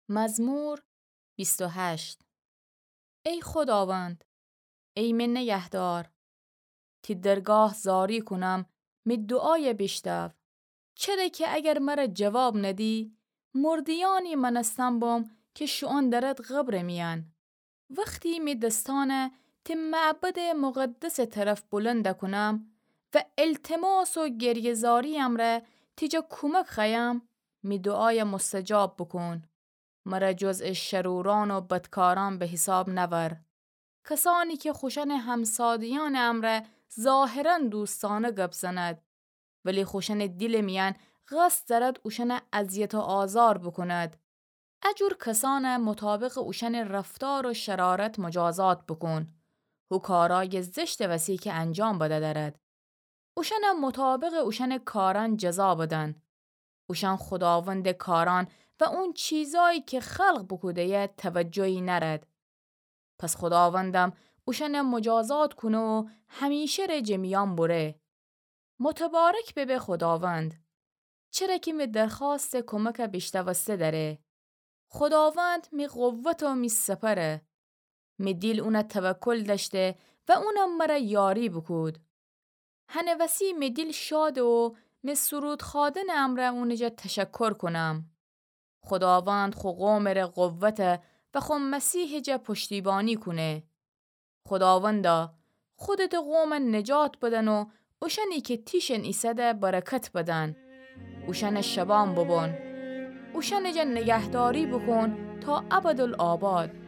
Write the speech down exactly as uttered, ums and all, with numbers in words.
مزمور بیست و هشت. ای خوداوند، ای می نگهدار، تی درگاه زاری کونم، می دوعایَ بیشتاو. چره کی اگر مرَ جواب ندی، مرده‌یأنی مأنستن بوم کی شوئون دأرد قبرٚ میأن. وختی می دسأنَ تی معبدٚ مقدسٚ طرف بلند کونم و التماس و گریه‌زاری امرأ تی جا کومک خوأیم، می دوعایَ مستجاب بوکون. مرَ جزء شرورأن و بدکارأن به حساب نأور. کسأنی کی خوشأنٚ همساده‌یأنٚ امرأ ظاهراً دوستأنه گب زند، ولی خوشأنٚ دیلٚ میأن قصد دأرد اوشأنَ اذیت و آزار بوکوند. ا جور کسأنَ مطابقٚ اوشأنٚ رفتار و شرارت مجازات بوکون. هو کارأیٚ زشتٚ وسی کی انجام بدأ دأرد، اوشأنَ مطابقٚ اوشأنٚ کارأن جزا بدن. اوشأن خوداوندٚ کارأن و اون چیزأیی کی خلق بوکوده‌یه توجهی نأرد. پس خوداوندم اوشأنَ مجازات کونه و همیشه ره جٚه میأن بره. متبارک ببه خوداوند، چره کی می درخوأستٚ کومکَ بیشتوسته دأره. خوداوند می قوت و می سپره. می دیل اونَ توکل دأشته و اونم مرَ یاری بوکود. هنٚ وسی می دیل شاده و می سرود خوأدنٚ امرأ اونٚ جا تشکر کونم. خوداوند خو قومٚ ره قوته و خو مسیحٚ جا پشتیبانی کونه. خوداوندا، خودتٚ قومَ نجات بدن و اوشأنی کی تیشن ایسده برکت بدن. اوشأنَ شبان ببون. اوشأنٚ جا نگهداری بوکون تا ابدالآباد.